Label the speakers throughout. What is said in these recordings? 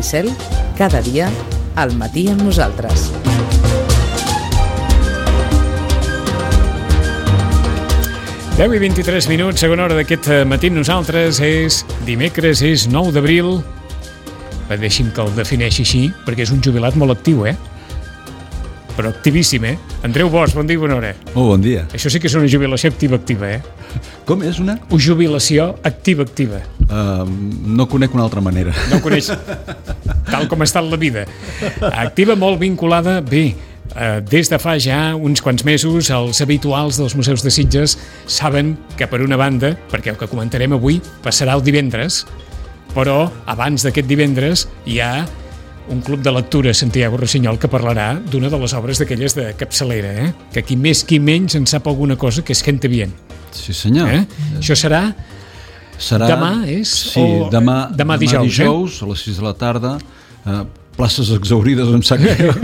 Speaker 1: Jordi Cel, cada dia, al matí amb nosaltres.
Speaker 2: Deu i 23 minuts, segona hora d'aquest matí amb nosaltres. És dimecres, és 9 d'abril. Deixi'm que el defineixi així, perquè és un jubilat molt actiu, però activíssim, Andreu Bosch, bon dia i bona hora.
Speaker 3: Molt bon dia.
Speaker 2: Això sí que és una jubilació activa,
Speaker 3: Com és una?
Speaker 2: Jubilació activa.
Speaker 3: No conec una altra manera.
Speaker 2: No coneix tal com ha estat la vida. Activa, molt vinculada, bé, des de fa ja uns quants mesos, els habituals dels museus de Sitges saben que per una banda, perquè el que comentarem avui passarà el divendres, però abans d'aquest divendres hi ha un club de lectura, Santiago Rossinyol, que parlarà d'una de les obres d'aquelles de capçalera, que qui més qui menys en sap alguna cosa, que és Gente Bien.
Speaker 3: Sí, senyor.
Speaker 2: Això serà demà,
Speaker 3: Sí, demà dijous, a les 6 de la tarda, places exaurides em sap greu.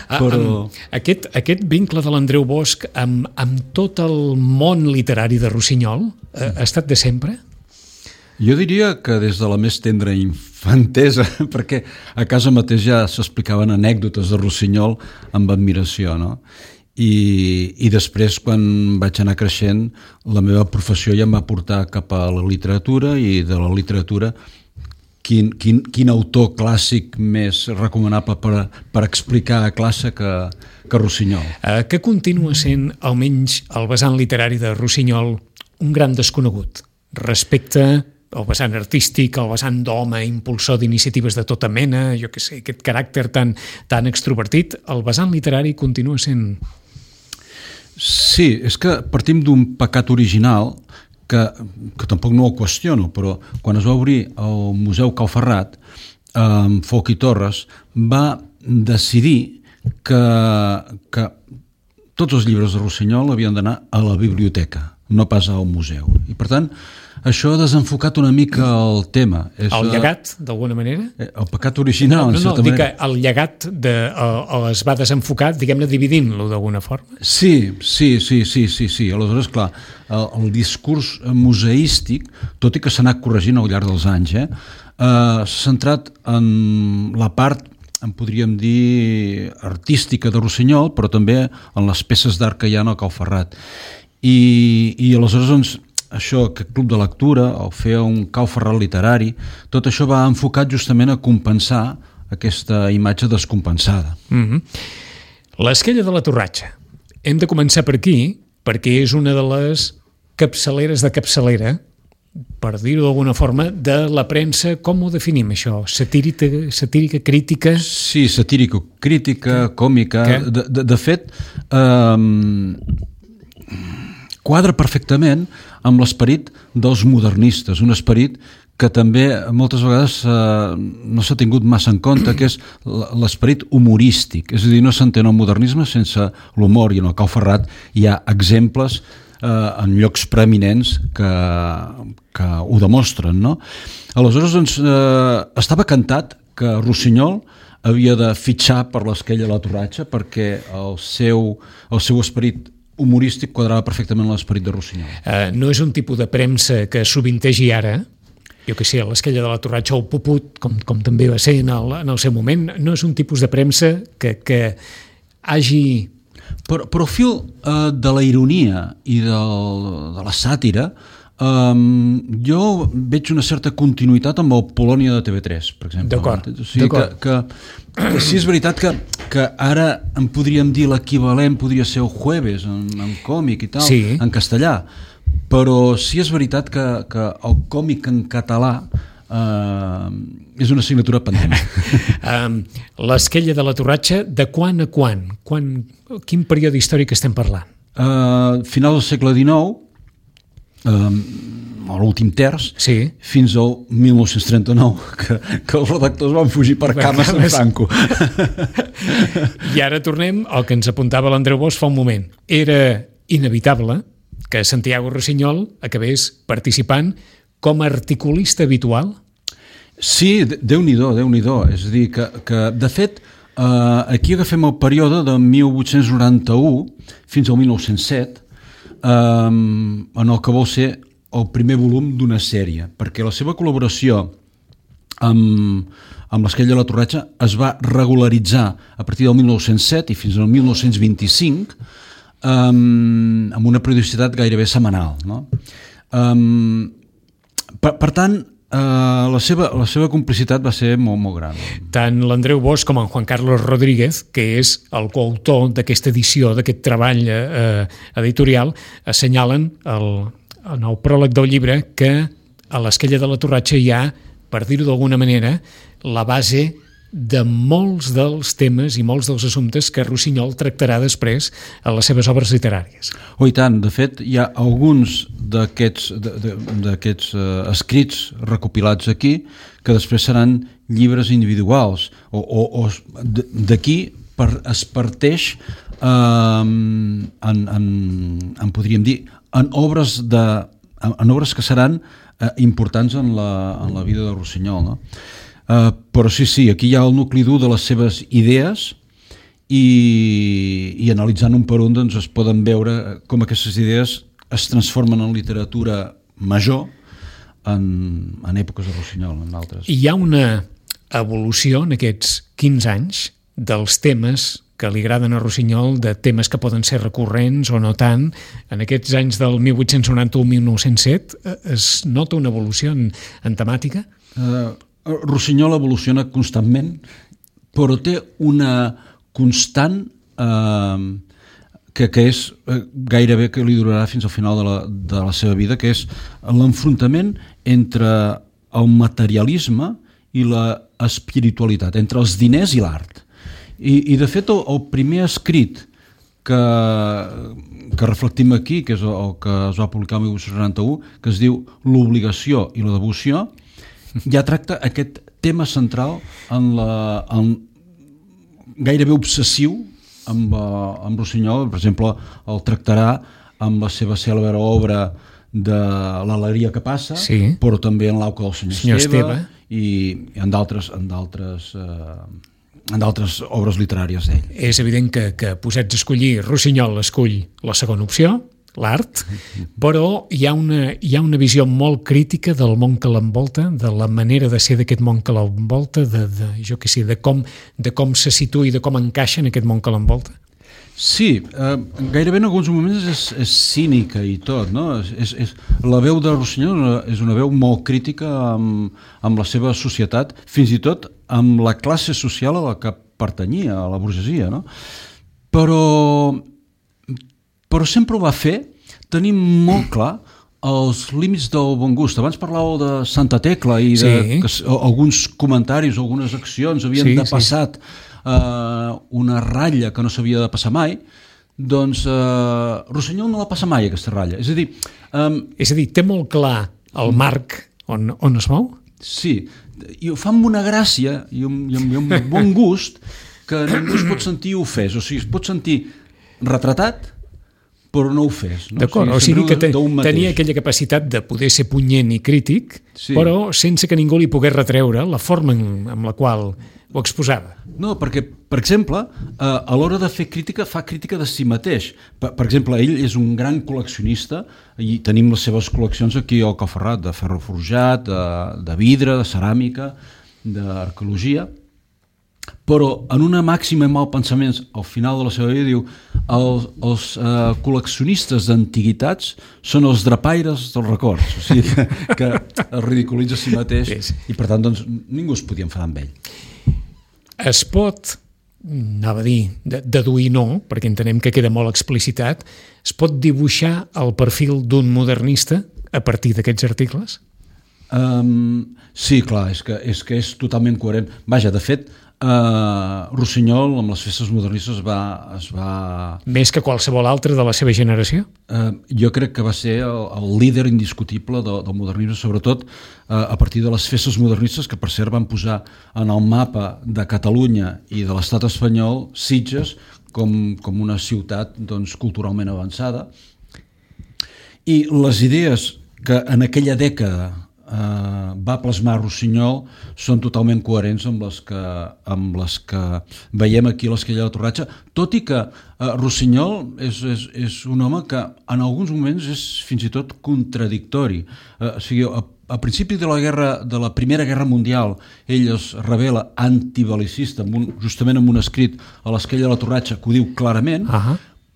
Speaker 3: Però...
Speaker 2: Aquest vincle de l'Andreu Bosch amb tot el món literari de Rossinyol ha estat de sempre?
Speaker 3: Jo diria que des de la més tendra infantesa, perquè a casa mateix ja s'explicaven anècdotes de Rossinyol amb admiració, no? I després, quan vaig anar creixent, la meva professió ja em va portar cap a la literatura, i de la literatura quin autor clàssic més recomanable per explicar a classe que Rossinyol.
Speaker 2: Que continua sent, almenys el vessant literari de Rossinyol, un gran desconegut respecte al vessant artístic, al vessant d'home, impulsor d'iniciatives de tota mena, jo què sé, aquest caràcter tan extrovertit, el vessant literari continua sent...
Speaker 3: Sí, és que partim d'un pecat original que tampoc no ho qüestiono, però quan es va obrir el Museu Cau Ferrat, Folch i Torres va decidir que tots els llibres de Rossinyol havien d'anar a la biblioteca, no pas al museu. I per tant, això ha desenfocat una mica el tema.
Speaker 2: El llegat, d'alguna manera?
Speaker 3: El pecat original, en certa manera.
Speaker 2: No, dic que el llegat es va desenfocar, diguem-ne, dividint-lo d'alguna forma.
Speaker 3: Sí. Aleshores, clar, el discurs museístic, tot i que s'ha anat corregint al llarg dels anys, s'ha centrat en la part, en podríem dir, artística de Rossinyol, però també en les peces d'art que hi ha al Cau Ferrat. I aleshores, doncs, això, aquest club de lectura, o fer un Cau Ferrat literari, tot això va enfocat justament a compensar aquesta imatge descompensada.
Speaker 2: L'Esquella de la Torratxa. Hem de començar per aquí, perquè és una de les capçaleres de capçalera, per dir-ho d'alguna forma, de la premsa. Com ho definim, això? Satírica, crítica?
Speaker 3: Sí, satírica, crítica, còmica. De fet, quadra perfectament amb l'esperit dels modernistes, un esperit que també moltes vegades no s'ha tingut massa en compte, que és l'esperit humorístic. És a dir, no s'entén el modernisme sense l'humor, i en el Cau Ferrat hi ha exemples en llocs preeminents que ho demostren, no? Aleshores, doncs, estava cantat que Rossinyol havia de fitxar per l'Esquella de la Torratxa perquè el seu esperit humorístic quadrava perfectament l'esperit de Rossinyol.
Speaker 2: No és un tipus de premsa que sovintegi ara, jo que sé, l'Esquella de la Torratxa o el Puput, com també va ser en el seu moment, no és un tipus de premsa que hagi...
Speaker 3: Però fil de la ironia i de la sàtira, jo veig una certa continuïtat amb el Polònia de TV3, per exemple.
Speaker 2: D'acord.
Speaker 3: O sigui, que sí, és veritat que ara en podríem dir l'equivalent podria ser el Jueves en còmic i tal,
Speaker 2: sí,
Speaker 3: en castellà, però sí és veritat que el còmic en català és una assignatura pendent.
Speaker 2: L'Esquella de la Torratxa, de quan a quan? Quin període històric estem parlant?
Speaker 3: Final del segle XIX, a l'últim terç,
Speaker 2: sí,
Speaker 3: fins al 1939, que els redactors van fugir per cames de Franco.
Speaker 2: I ara tornem al que ens apuntava l'Andreu Bosch fa un moment. Era inevitable que Santiago Rossinyol acabés participant com a articulista habitual?
Speaker 3: Sí, Déu-n'hi-do. És a dir, que de fet, aquí agafem el període de 1891 fins al 1907, en el que vol ser el primer volum d'una sèrie, perquè la seva col·laboració amb l'esquella de la Torratxa es va regularitzar a partir del 1907 i fins al 1925 amb una periodicitat gairebé setmanal, no? Per tant, la seva complicitat va ser molt, molt gran.
Speaker 2: Tant l'Andreu Bosch com en Juan Carlos Rodríguez, que és el coautor d'aquesta edició, d'aquest treball editorial, assenyalen en el pròleg del llibre que a l'esquella de la Torratxa hi ha, per dir-ho d'alguna manera, la base de molts dels temes i molts dels assumptes que Rossinyol tractarà després a les seves obres literàries.
Speaker 3: I tant, de fet, hi ha alguns d'aquests escrits recopilats aquí que després seran llibres individuals o d'aquí es parteix en podríem dir en obres que seran importants en la vida de Rossinyol, no? Però sí, aquí hi ha el nucli dur de les seves idees i analitzant un per un doncs es poden veure com aquestes idees es transformen en literatura major en èpoques de Rossinyol, en altres.
Speaker 2: Hi ha una evolució en aquests 15 anys dels temes que li agraden a Rossinyol, de temes que poden ser recurrents o no tant. En aquests anys del 1891-1907 es nota una evolució en temàtica?
Speaker 3: Rossinyol evoluciona constantment, però té una constant que és gairebé que li durarà fins al final de la seva vida, que és l'enfrontament entre el materialisme i l'espiritualitat, entre els diners i l'art. I de fet el primer escrit que reflectim aquí, que és el que es va publicar el 1891, que es diu L'obligació i la devoció, ja tracta aquest tema central gairebé obsessiu amb Rossinyol. Per exemple, el tractarà amb la seva cèlebre obra de l'Alegria que passa, sí, però també en l'Auca del Senyor Esteve i en d'altres obres literàries d'ell.
Speaker 2: És evident que posats a escollir, Rossinyol escull la segona opció, l'art, però hi ha una visió molt crítica del món que l'envolta, de la manera de ser d'aquest món que l'envolta, de com se situa i de com encaixa en aquest món que l'envolta.
Speaker 3: Sí, gairebé en alguns moments és cínica i tot, no? La veu de Rossinyol és una veu molt crítica amb la seva societat, fins i tot amb la classe social a la que pertanyia, a la burgesia, no? Però sempre ho va fer tenint molt clar els límits del bon gust. Abans parlàveu de Santa Tecla i que alguns comentaris, algunes accions havien de passat una ratlla que no s'havia de passar mai. Doncs Rossinyol no la passa mai, aquesta ratlla. És a dir,
Speaker 2: té molt clar el marc on es mou?
Speaker 3: Sí, i ho fa amb una gràcia i un bon gust que ningú es pot sentir ofès. O sigui, es pot sentir retratat, però no ho fes. No?
Speaker 2: D'acord, o sigui que tenia aquella capacitat de poder ser punyent i crític, però sense que ningú li pogués retreure la forma amb la qual ho exposava.
Speaker 3: No, perquè, per exemple, a l'hora de fer crítica, fa crítica de si mateix. Per exemple, ell és un gran col·leccionista i tenim les seves col·leccions aquí al Coferrat, de ferro forjat, de vidre, de ceràmica, d'arqueologia, però en una màxima i malpensaments al final de la seva vida diu els col·leccionistes d'antiguitats són els drapaires dels records, o sigui que es ridiculitza a si mateix i per tant doncs, ningú es podia enfadar amb ell.
Speaker 2: Es pot, anava a dir, deduir no, perquè entenem que queda molt explicitat, es pot dibuixar el perfil d'un modernista a partir d'aquests articles?
Speaker 3: Sí, clar, és que és totalment coherent. Vaja, de fet, Rossinyol amb les festes modernistes es va...
Speaker 2: Més que qualsevol altre de la seva generació?
Speaker 3: Jo crec que va ser el líder indiscutible del modernisme, sobretot a partir de les festes modernistes que per cert van posar en el mapa de Catalunya i de l'estat espanyol Sitges com una ciutat doncs, culturalment avançada, i les idees que en aquella dècada va plasmar Rossinyol són totalment coherents amb les que veiem aquí a l'esquella de la Torratxa, tot i que Rossinyol és un home que en alguns moments és fins i tot contradictori. O sigui, a principi de la Primera Guerra Mundial, ell es revela antibelicista, justament amb un escrit a l'Esquella de la Torratxa que ho diu clarament,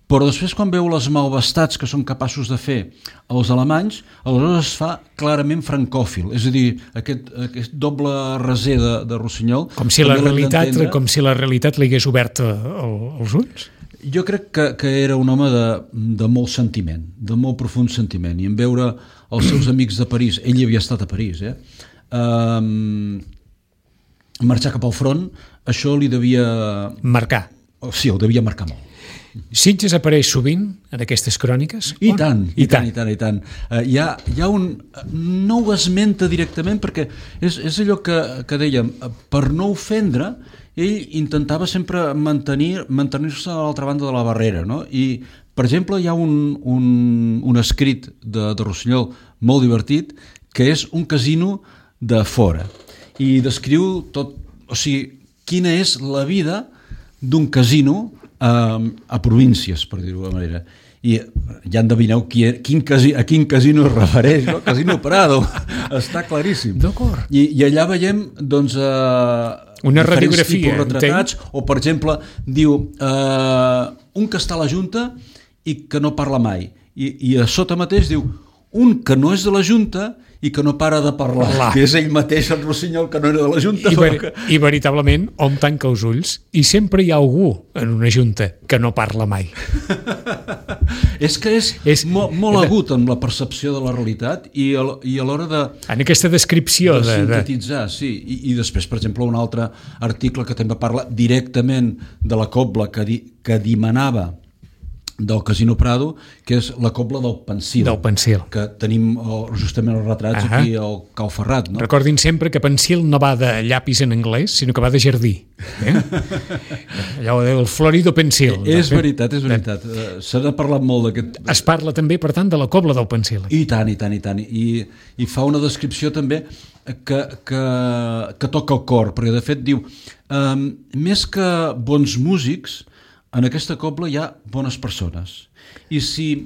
Speaker 3: però després quan veu les malvestats que són capaços de fer els alemanys, aleshores es fa clarament francòfil, és a dir, aquest doble raser de Rossinyol...
Speaker 2: Com si la realitat li hagués obert els ulls?
Speaker 3: Jo crec que era un home de molt sentiment, de molt profund sentiment, i en veure els seus amics de París, ell hi havia estat a París, marxar cap al front, això li devia...
Speaker 2: Marcar.
Speaker 3: Sí, el devia marcar molt.
Speaker 2: Sitges apareix sovint en aquestes cròniques?
Speaker 3: I tant. Hi ha un... No ho esmenta directament perquè és allò que dèiem, per no ofendre, ell intentava sempre mantenir-se a l'altra banda de la barrera, no? I, per exemple, hi ha un escrit de Rossinyol molt divertit que és un casino de fora i descriu tot, o sigui, quina és la vida d'un casino a províncies, per dir-ho d'una manera. I ja endevineu a quin casino es refereix, no? Casino Prado, està claríssim.
Speaker 2: D'acord.
Speaker 3: I allà veiem, doncs,
Speaker 2: una radiografia,
Speaker 3: retratats, o per exemple, diu un que està a la Junta i que no parla mai. I a sota mateix diu un que no és de la Junta i que no para de parlar, que és ell mateix, el Rossinyol, que no era de la Junta.
Speaker 2: I veritablement, hom tanca els ulls i sempre hi ha algú en una Junta que no parla mai.
Speaker 3: És que és molt agut en la percepció de la realitat i a l'hora de...
Speaker 2: En aquesta descripció
Speaker 3: de sintetitzar, sí. I després, per exemple, un altre article que també parla directament de la cobla que dimanava del Casino Prado, que és la cobla del Pensil.
Speaker 2: Del Pensil.
Speaker 3: Que tenim justament els retrats aquí al Cau Ferrat. No?
Speaker 2: Recordin sempre que Pensil no va de llapis en anglès, sinó que va de jardí. Allò del Florido Pensil.
Speaker 3: És veritat. S'ha parlat molt d'aquest...
Speaker 2: Es parla també, per tant, de la cobla del Pensil.
Speaker 3: I tant. I fa una descripció també que toca el cor, perquè de fet diu més que bons músics, en aquesta cobla hi ha bones persones. I si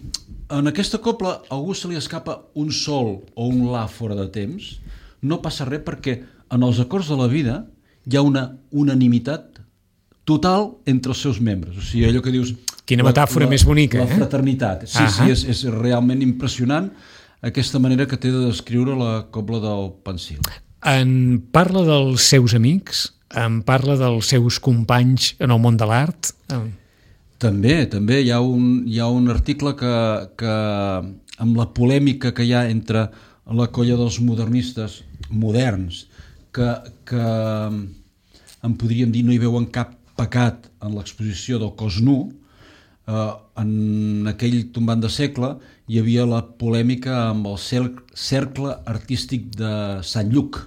Speaker 3: en aquesta cobla a algú se li escapa un sol o un la fora de temps, no passa res perquè en els acords de la vida hi ha una unanimitat total entre els seus membres. O sigui, allò que dius...
Speaker 2: Quina metàfora més bonica.
Speaker 3: La fraternitat. Sí, és realment impressionant aquesta manera que té de descriure la cobla del Pensil.
Speaker 2: En parla dels seus amics? En parla dels seus companys en el món de l'art?
Speaker 3: També hi ha un article que amb la polèmica que hi ha entre la colla dels modernistes moderns que en podríem dir no hi veuen cap pecat en l'exposició del cos nu, en aquell tombant de segle hi havia la polèmica amb el cercle artístic de Sant Lluc.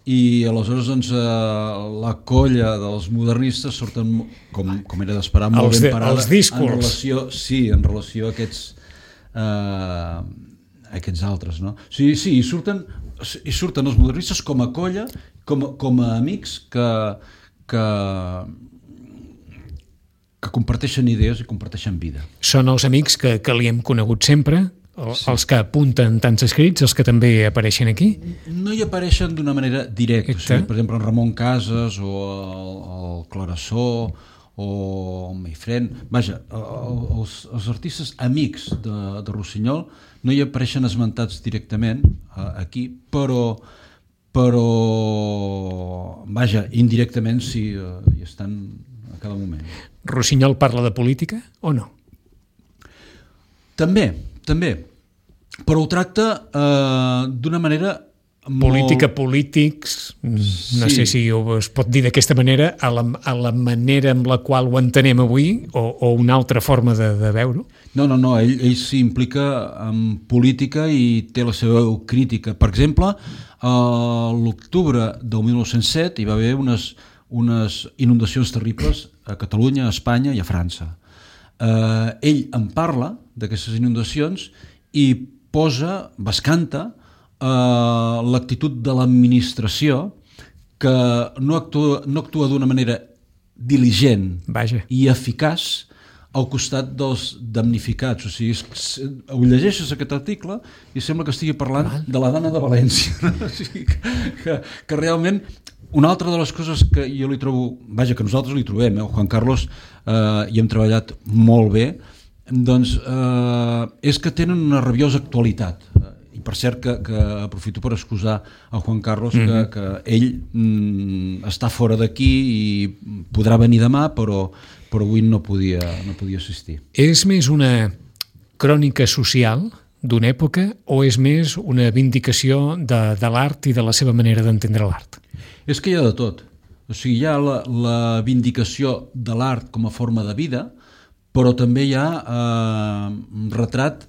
Speaker 3: I aleshores doncs, la colla dels modernistes surten, com era d'esperar, molt ben parada en relació a aquests altres. No? Sí, hi surten els modernistes com a colla, com a amics que comparteixen idees i comparteixen vida.
Speaker 2: Són els amics que li hem conegut sempre? Els que apunten tants escrits, els que també apareixen aquí?
Speaker 3: No hi apareixen d'una manera directa. O sigui, per exemple, en Ramon Casas o el Clarasó o el Meifrén. Vaja, els artistes amics de Rossinyol no hi apareixen esmentats directament aquí, però vaja, indirectament sí, hi estan a cada moment.
Speaker 2: Rossinyol parla de política o no?
Speaker 3: També, però ho tracta d'una manera
Speaker 2: polítics, no sé si es pot dir d'aquesta manera, a la manera amb la qual ho entenem avui o una altra forma de veure-ho?
Speaker 3: No, ell s'implica en política i té la seva crítica. Per exemple, a l'octubre del 1907 hi va haver unes inundacions terribles a Catalunya, a Espanya i a França. Ell en parla d'aquestes inundacions i bescanta l'actitud de l'administració que no actua d'una manera diligent i eficaç al costat dels damnificats. O sigui, ho llegeixes aquest article i sembla que estigui parlant de la Dana de València. O sigui, que realment una altra de les coses que jo li trobo, vaja, que nosaltres li trobem, el Juan Carlos hi hem treballat molt bé, doncs és que tenen una rabiosa actualitat. I per cert que aprofito per excusar el Juan Carlos que ell està fora d'aquí i podrà venir demà, però avui no podia assistir.
Speaker 2: És més una crònica social d'una època o és més una vindicació de l'art i de la seva manera d'entendre l'art?
Speaker 3: És que hi ha de tot. O sigui, hi ha la vindicació de l'art com a forma de vida, però també hi ha un retrat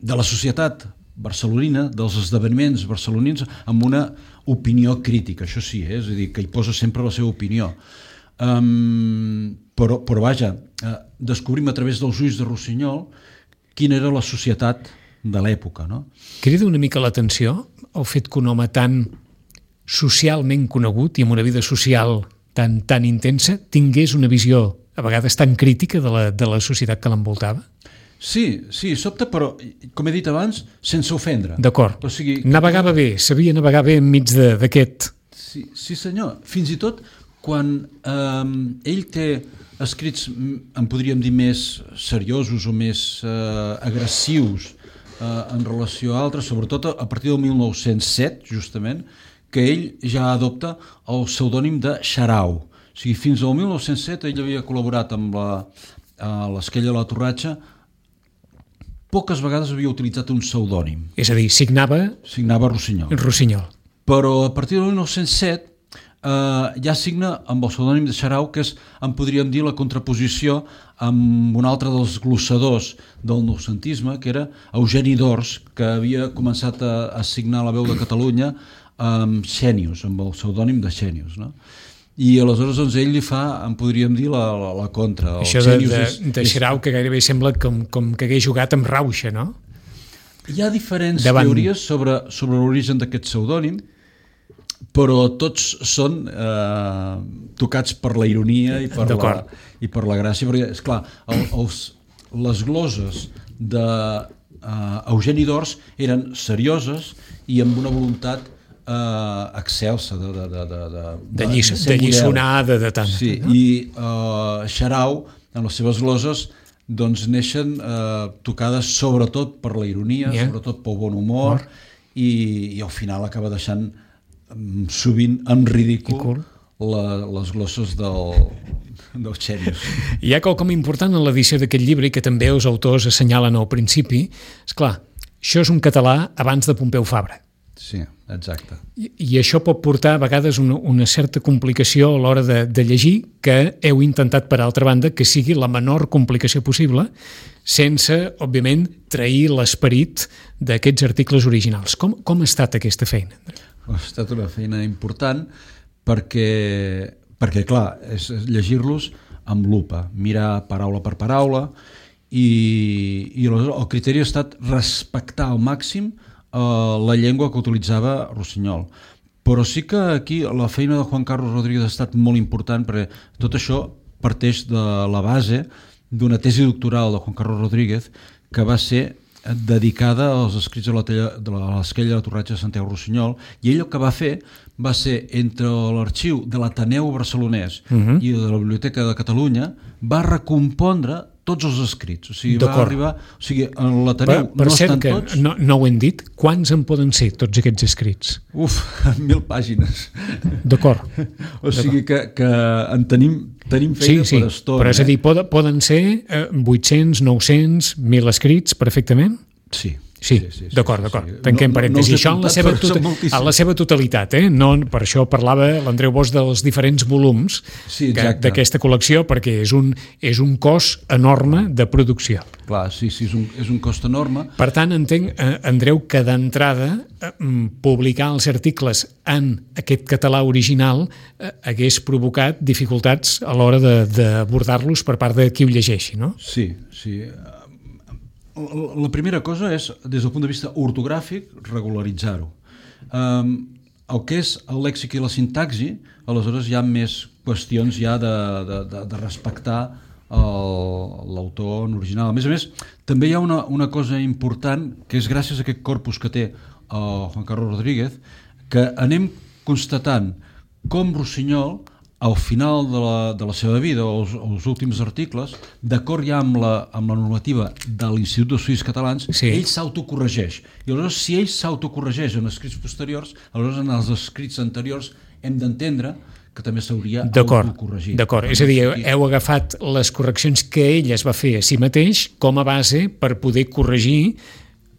Speaker 3: de la societat barcelonina, dels esdeveniments barcelonins, amb una opinió crítica, això sí, és a dir, que hi posa sempre la seva opinió. Però vaja, descobrim a través dels ulls de Rossinyol quina era la societat de l'època, no?
Speaker 2: Crida una mica l'atenció el fet que un home tan socialment conegut i amb una vida social tan intensa tingués una visió a vegades tan crítica de la societat que l'envoltava?
Speaker 3: Sí, sobta, però, com he dit abans, sense ofendre.
Speaker 2: D'acord.
Speaker 3: O sigui,
Speaker 2: navegava bé, sabia navegar bé enmig d'aquest...
Speaker 3: Sí, senyor. Fins i tot quan ell té escrits, en podríem dir, més seriosos o més agressius en relació a altres, sobretot a partir del 1907, justament, que ell ja adopta el pseudònim de Xarau. O sigui, fins al 1907 ell havia col·laborat amb l'Esquella de la Torratxa, poques vegades havia utilitzat un pseudònim.
Speaker 2: És a dir, signava Rossinyol.
Speaker 3: Però a partir del 1907 ja signa amb el pseudònim de Xarau, que és, en podríem dir, la contraposició amb un altre dels glossadors del noucentisme, que era Eugeni d'Ors, que havia començat a signar la Veu de Catalunya amb Xènius, amb el pseudònim de Xènius, no? I aleshores doncs, ell li fa, en podríem dir, la contra.
Speaker 2: Això de Xarau, que gairebé sembla com que hagués jugat amb Rauxa, no?
Speaker 3: Hi ha diferents teories sobre l'origen d'aquest pseudònim, però tots són tocats per la ironia i per la gràcia, perquè, esclar, les gloses d'Eugeni d'Ors eren serioses i amb una voluntat excelsa
Speaker 2: de lliçonada de tant.
Speaker 3: Sí, no? I Xarau, en les seves gloses, doncs neixen tocades sobretot per la ironia, sobretot pel bon humor, i al final acaba deixant sovint en ridícul les glosses del Xènius.
Speaker 2: Hi ha quelcom important en l'edició d'aquest llibre i que també els autors assenyalen al principi. Esclar, això és un català abans de Pompeu Fabra.
Speaker 3: Sí, exacte.
Speaker 2: I això pot portar a vegades una certa complicació a l'hora de llegir, que heu intentat, per altra banda, que sigui la menor complicació possible, sense, òbviament, trair l'esperit d'aquests articles originals. Com ha estat aquesta feina?
Speaker 3: Ha estat una feina important perquè clar, és llegir-los amb lupa, mirar paraula per paraula, i el criteri ha estat respectar al màxim la llengua que utilitzava Rossinyol. Però sí que aquí la feina de Juan Carlos Rodríguez ha estat molt important, perquè tot això parteix de la base d'una tesi doctoral de Juan Carlos Rodríguez que va ser dedicada als escrits de l'Esquella de la Torratxa de Santiago Rossinyol, i ell el que va fer va ser, entre l'arxiu de l'Ateneu Barcelonès i de la Biblioteca de Catalunya, va recompondre tots els escrits. O sigui, va arribar... O sigui, en l'Ateneu no estan tots...
Speaker 2: No ho hem dit. Quants en poden ser, tots aquests escrits?
Speaker 3: 1.000 pàgines.
Speaker 2: D'acord.
Speaker 3: O sigui que en tenim feina per estona.
Speaker 2: Però és a dir, poden ser 800, 900, 1.000 escrits perfectament? Sí, d'acord. Tanquem parèntesi. Això en la seva totalitat, no? Per això parlava l'Andreu Bosch dels diferents volums d'aquesta col·lecció, perquè és un cost enorme de producció.
Speaker 3: Clar, sí, és un cost enorme.
Speaker 2: Per tant, entenc, Andreu, que d'entrada publicar els articles en aquest català original hagués provocat dificultats a l'hora d'abordar-los per part de qui ho llegeixi, no?
Speaker 3: Sí. La primera cosa és, des del punt de vista ortogràfic, regularitzar-ho. El que és el lèxic i la sintaxi, aleshores hi ha més qüestions ja de respectar l'autor original. A més, també hi ha una cosa important, que és gràcies a aquest corpus que té Juan Carlos Rodríguez, que anem constatant com Rossinyol, al final de la seva vida, o els últims articles, d'acord ja amb la normativa de l'Institut d'Estudis Catalans, ell s'autocorregeix. I aleshores, si ell s'autocorregeix en escrits posteriors, aleshores en els escrits anteriors hem d'entendre que també s'hauria autocorregit.
Speaker 2: D'acord, és a dir, heu agafat les correccions que ell es va fer a si mateix com a base per poder corregir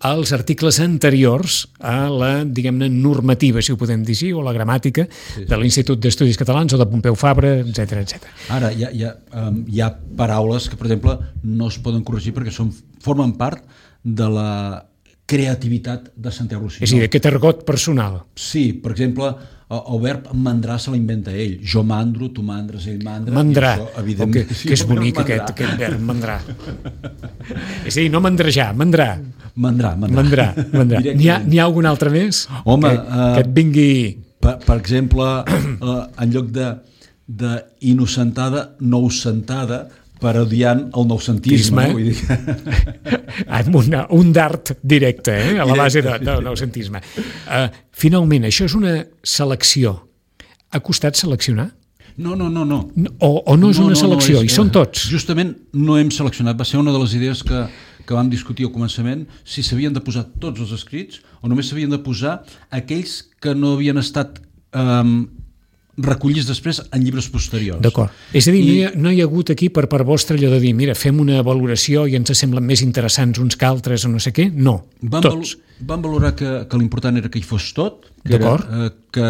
Speaker 2: els articles anteriors a la, diguem-ne, normativa, si ho podem dir així, o la gramàtica de l'Institut d'Estudis Catalans o de Pompeu Fabra, etc.
Speaker 3: Ara, hi ha paraules que, per exemple, no es poden corregir perquè formen part de la creativitat de Santiago Rossinyol.
Speaker 2: És a dir, aquest argot personal.
Speaker 3: Sí, per exemple, el verb mandrar se l'inventa ell. Jo mandro, tu mandres, ell mandra.
Speaker 2: Mandrar,
Speaker 3: evidentment,
Speaker 2: que és bonic aquest verb, mandrar. És a dir, no mandrejar, mandrar.
Speaker 3: Mandrar.
Speaker 2: N'hi ha algun altre més?
Speaker 3: Home,
Speaker 2: que et vingui...
Speaker 3: Per exemple, en lloc de inocentada, noucentada, parodiant el noucentisme.
Speaker 2: Un dart directe, a la base del noucentisme. Finalment, això és una selecció. Ha costat seleccionar?
Speaker 3: No.
Speaker 2: O no és una selecció, i són tots?
Speaker 3: Justament no hem seleccionat. Va ser una de les idees que vam discutir al començament, si s'havien de posar tots els escrits o només s'havien de posar aquells que no havien estat recollits després en llibres posteriors.
Speaker 2: D'acord. És a dir, no hi ha hagut aquí per part vostra allò de dir, mira, fem una valoració i ens semblen més interessants uns que altres o no sé què? No, tots.
Speaker 3: Vam valorar que l'important era que hi fos tot, que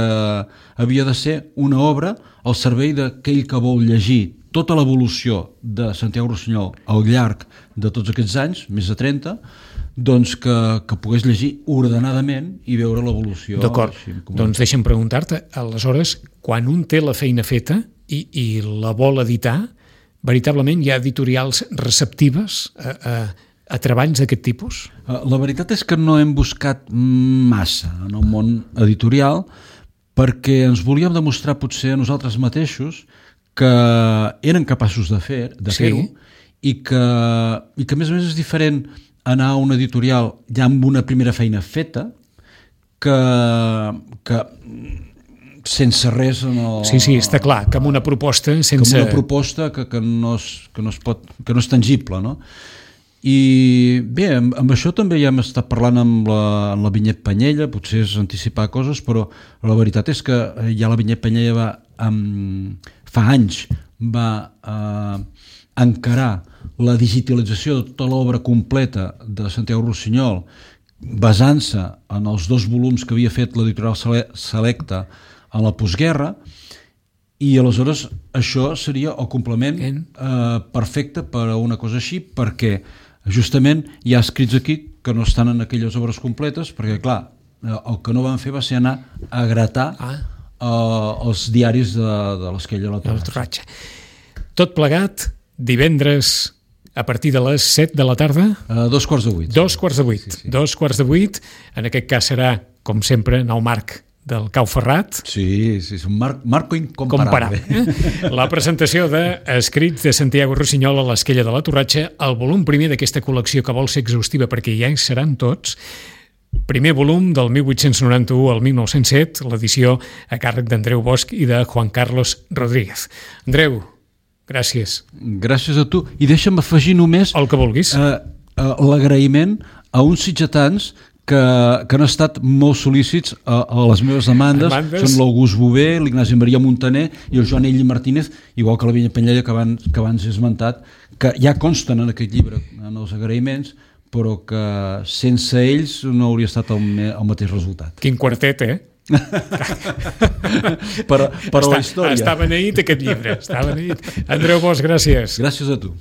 Speaker 3: havia de ser una obra al servei d'aquell que vol llegir tota l'evolució de Santiago Rossinyol al llarg de tots aquests anys, més de 30, doncs que pogués llegir ordenadament i veure l'evolució.
Speaker 2: D'acord, doncs deixa'm preguntar-te, aleshores, quan un té la feina feta i la vol editar, veritablement hi ha editorials receptives a treballs d'aquest tipus?
Speaker 3: La veritat és que no hem buscat massa en el món editorial perquè ens volíem demostrar potser a nosaltres mateixos que eren capaços de fer-ho i que a més és diferent anar a un editorial ja amb una primera feina feta que sense res en el...
Speaker 2: Sí, està clar, que amb una proposta sense...
Speaker 3: Que amb una proposta que no és tangible, no? I bé, amb això també ja hem estat parlant amb la Vinyet Panyella, potser és anticipar coses, però la veritat és que ja la Vinyet Panyella fa anys va encarar la digitalització de tota l'obra completa de Santiago Rossinyol basant-se en els 2 volums que havia fet l'editorial Selecta a la postguerra, i aleshores això seria el complement perfecte per a una cosa així, perquè justament hi ha escrits aquí que no estan en aquelles obres completes, perquè clar, el que no van fer va ser anar a gratar els diaris de l'Esquella de la Torratxa.
Speaker 2: Tot plegat, divendres a partir de les 7 de la tarda?
Speaker 3: 7:15.
Speaker 2: 7:15. 7:15. En aquest cas serà, com sempre, en el marc del Cau Ferrat.
Speaker 3: Sí, és un marco incomparable.
Speaker 2: La presentació d'escrits de Santiago Rossinyol a l'Esquella de la Torratxa, el volum primer d'aquesta col·lecció que vol ser exhaustiva perquè ja hi seran tots. Primer volum del 1891 al 1907, l'edició a càrrec d'Andreu Bosch i de Juan Carlos Rodríguez. Andreu, gràcies.
Speaker 3: Gràcies a tu. I deixa'm afegir només
Speaker 2: el que vulguis.
Speaker 3: L'agraïment a uns sitgetans que han estat molt sol·lícits a les meves demandes. Són l'August Bové, l'Ignasi Maria Montaner i el Joan Ell Martínez, igual que la Vinyet Panyella que abans he esmentat, que ja consten en aquest llibre, en els agraïments, però que sense ells no hauria estat el mateix resultat.
Speaker 2: Quin quartet,
Speaker 3: per la història.
Speaker 2: Està beneït aquest llibre, està beneït. Andreu Bosch, gràcies.
Speaker 3: Gràcies a tu.